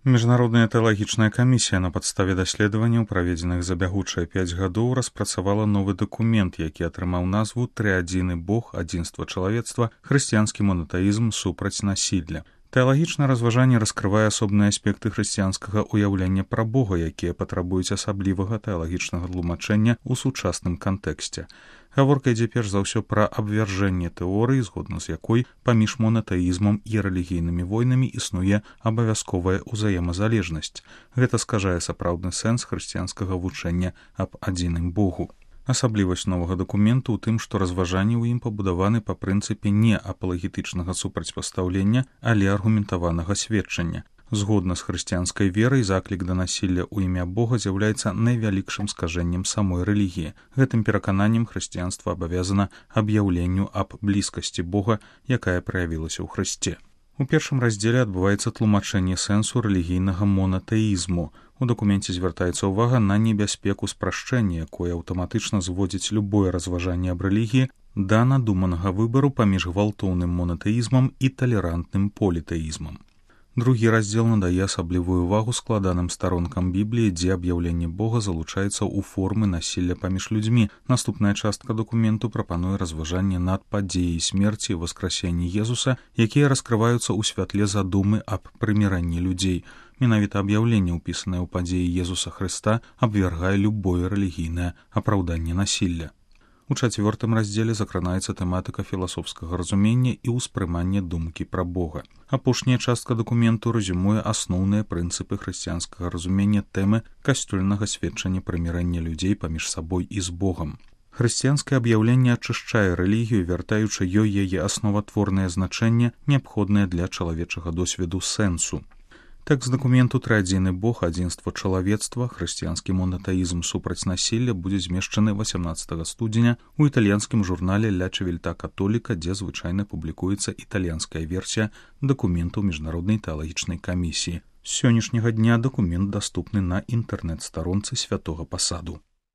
Міжнародная тэалагічная камісія на падставе даследаванняў, праведзеных за бягучыя 5 гадоў, распрацавала новы дакумент, які атрымаў назву «Трыадзіны Бог, адзінства чалавецтва, хрысціянскі монатэізм супраць насілля». Тэалагічнае разважанне раскрывае асобныя аспекты хрысціянскага ўяўлення пра Бога, якія патрабуюць асаблівага тэалагічнага тлумачэння ў сучасным кантэксце. Гаворка ідзе перш за ўсё пра абвяржэнне тэорыі, згодна з якой паміж монатэізмам і рэлігійнымі войнамі існуе абавязковая ўзаемазалежнасць. Гэта скажае сапраўдны сэнс хрысціянскага вучэння аб адзіным Богу. Асаблівасць новага дакументу ў тым, што разважанні ў ім пабудаваны па прынцыпе не апалагетычнага супрацьпастаўлення, але аргументаванага сведчання. Згодна з хрысціянскай верай, заклік да насілля ў імя Бога з'яўляецца найвялікшым скажэннем самой рэлігіі. Гэтым перакананнем хрысціянства абавязана аб'яўленню аб блізкасці Бога, якая праявілася ў Хрысце. У першым раздзеле адбываецца тлумачэнне сэнсу рэлігійнага монатэізму. У дакуменце звяртаецца ўвага на небяспеку спрашчэння, якое аўтаматычна зводзіць любое разважанне аб рэлігіі да надуманага выбару паміж гвалтоўным монатэізмам і талерантным політэізмам. Другі раздзел надае асаблівую ўвагу складаным старонкам Бібліі, дзе аб'яўленне Бога залучаецца ў формы насілля паміж людзьмі. Наступная частка дакументу прапануе разважанне над падзеяй смерці і васкрасення Езуса, якія раскрываюцца ў святле задумы аб прыміранні людзей. Менавіта аб'яўленне, ўпісанае ў падзеі Езуса Хрыста, абвяргае любое рэлігійнае апраўданне насілля. У 4-м раздзеле закранаецца тэматыка філасофскага разумення і ўспрымання думкі пра Бога. Апошняя частка дакументу рэзюмуе асноўныя прынцыпы хрысціянскага разумення тэмы касцёльнага сведчання прымірання людзей паміж сабой і з Богам. Хрысціянскае аб'яўленне ачышчае рэлігію, вяртаючы ёй яе асноватворнае значэнне, неабходнае для чалавечага досведу сэнсу. Тэкст дакументу «Трыадзіны Бог, адзінства чалавецтва, хрысціянскі монатэізм супраць насілля» будзе змешчаны 18 студзеня ў італьянскім журнале «Ля Чивільта Католіка», дзе звычайна публікуецца італьянская версія дакументу Міжнароднай тэалагічнай камісіі. З сённяшняга дня дакумент даступны на інтэрнэт-старонцы Святога Пасаду.